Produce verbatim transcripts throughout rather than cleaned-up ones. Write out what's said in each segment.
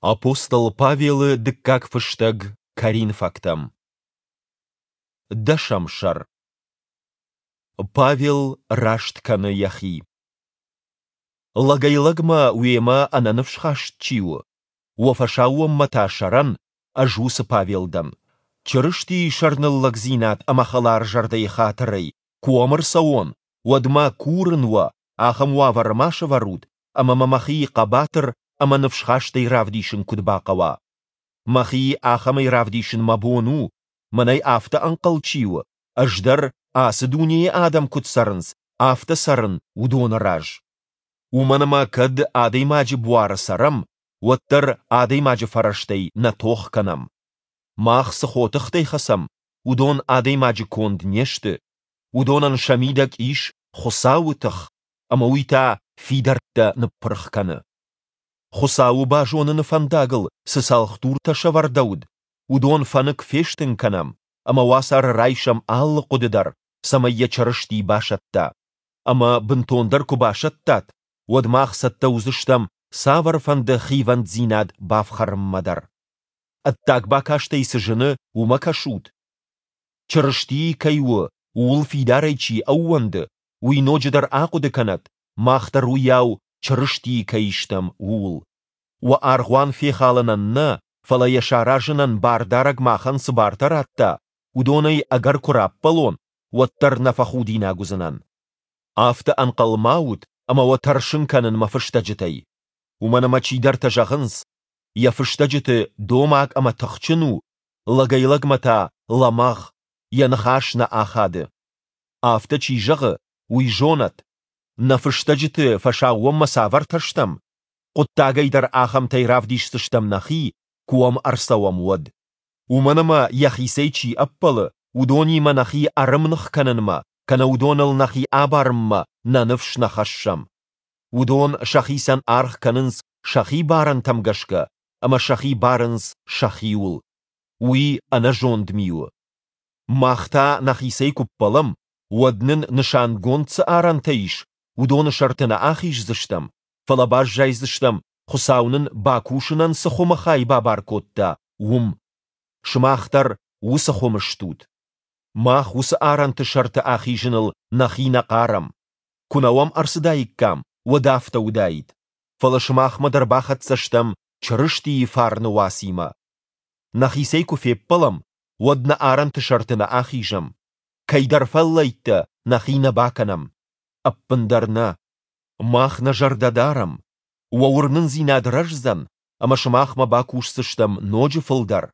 Апостол Павелы дыккаг фыстӕг Коринфӕгтӕм. Дӕсӕм сӕр. Павел раст кӕны йӕхи. Лӕгӕй-лӕгмӕ уемӕ ӕнӕныфсхаст чи у, уӕ фӕсаууонмӕ та сӕрӕн, ӕз уыцы Павел дӕн. Чырыстийы сӕрныллӕгдзинад ӕмӕ хӕларзӕрдӕйы хатырӕй, куы уӕм ӕрцӕуон, уӕд мӕ, курын уӕ, ахӕм уавӕры ма сӕвӕрут, ӕмӕ мӕ мӕхи хъӕбатыр ӕмӕ ныфсхастӕй равдисын куыд бахъӕуа. Мӕхи ахӕмӕй равдисын мӕ бон у, мӕнӕй афтӕ ӕнхъӕл чи у, ӕз дӕр, ацы дунейы адӕм куыд цӕрынц, афтӕ цӕрын уыдоны раз. Уымӕн ӕмӕ кӕд адӕймаджы буары цӕрӕм, уӕддӕр адӕймаджы фӕрӕзтӕй нӕ тох кӕнӕм. Мах цы хотыхтӕй хӕцӕм, уыдон адӕймаджы конд не сты, уыдонӕн сӕ мидӕг ис Хуыцауы тых, ӕмӕ уый та фидӕрттӕ ныппырх кӕны. Хуыцауы базоныны фӕндагыл цы цӕлхдуртӕ сӕвӕрдӕуыд, уыдон фӕнык фестын кӕнӕм ӕмӕ уацары райсӕм алы хъуыды дӕр, цӕмӕй йӕ Чырысти басӕтта. Ӕмӕ бынтондӕр куы басӕттат, уӕд мах цӕттӕ уыдзыстӕм цавӕрфӕнды хивӕнддзинад бафхӕрынмӕ дӕр. Ӕддаг бакастӕй цы зыны, уымӕ кӕсут? Чырыстийы кӕй у, ууыл фидарӕй чи ӕууӕнды, уый ноджыдӕр ахъуыды кӕнӕд, мах дӕр уыйау Чырыстийы кӕй стӕм, ууыл. Уӕ аргъуан фехалынӕн нӕ, фӕлӕ йӕ саразынӕн Бардарӕг махӕн цы бартӕ радта, уыдонӕй ӕгӕр куы раппӕлон, уӕддӕр нӕ фӕхудинаг уыдзынӕн. Афтӕ ӕнхъӕл ма ут, ӕмӕ уӕ тӕрсын кӕнын мӕ фыстӕджытӕй. Уымӕн ӕмӕ чидӕртӕ зӕгъынц, йӕ фыстӕджыты домаг ӕмӕ тыхджын у, лӕгӕй-лӕгмӕ та лӕмӕгъ, йӕ ныхас нӕ ахады. Афтӕ чи зӕгъы, уый зонӕд, нӕ фыстӕджыты фӕсаууонмӕ цавӕртӕ стӕм, хъуыддагӕй дӕр ахӕмтӕй равдисдзыстӕм нӕхи, куы уӕм ӕрцӕуӕм, уӕд. Уымӕн ӕмӕ йӕхицӕй чи ӕппӕлы, уыдонимӕ нӕхи ӕрӕмных кӕнынмӕ кӕнӕ уыдоныл нӕхи абарынмӕ нӕ ныфс нӕ хӕссӕм. Уыдон сӕхицӕн аргъ кӕнынц сӕхи барӕнтӕм гӕсгӕ ӕмӕ сӕхи барынц сӕхиуыл. Уый ӕнӕзонд ми у. Мах та нӕхицӕй куы ппӕлӕм, уӕд нын нысангонд цы арӕнтӕ ис, уыдоны сӕрты нӕ ахиздзыстӕм, фӕлӕ баззайдзыстӕм, Хуыцау нын бакусынӕн цы хуымы хай бабар кодта, уым. Сымах дӕр уыцы хуымы стут. Мах уыцы арӕнты сӕрты ахизыныл нӕхи нӕ хъарӕм. Куы нӕ уӕм ӕрцыдаиккам, уӕд афтӕ уыдаид. Фӕлӕ сымахмӕ дӕр бахӕццӕ стӕм Чырыстийы фарны уацимӕ. Нӕхицӕй куы феппӕлӕм, уӕд нӕ арӕнты сӕрты нӕ ахизӕм. Кӕйдӕр фӕллӕйттӕ нӕхи нӕ бакӕнӕм. Ӕппындӕр нӕ. Мах нӕ зӕрдӕ дарӕм, уӕ уырнындзинад рӕздзӕн, ӕмӕ сымахмӕ бакусдзыстӕм ноджы фылдӕр,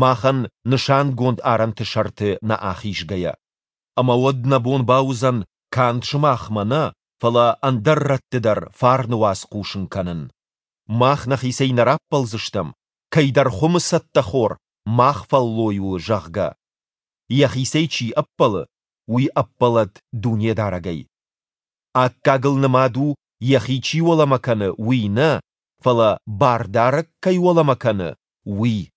махӕн нысангонд арӕнты сӕрты нӕ ахизгӕйӕ. Ӕмӕ уӕд нӕ бон бауыдзӕн канд сымахмӕ нӕ, фӕлӕ ӕндӕр рӕтты дӕр фарны уац хъусын кӕнын. Мах нӕхицӕй нӕ раппӕлдзыстӕм, кӕйдӕр хуымы цӕттӕ хор мах фӕллой у, зӕгъгӕ. Йӕхицӕй чи ӕппӕлы, уый ӕппӕлӕд Дунедарӕгӕй. Аккагыл нымад у, йӕхи чи уӕлӕмӕ кӕны, уый нӕ, фӕлӕ Бардарӕг кӕй уӕлӕмӕ кӕны, уый.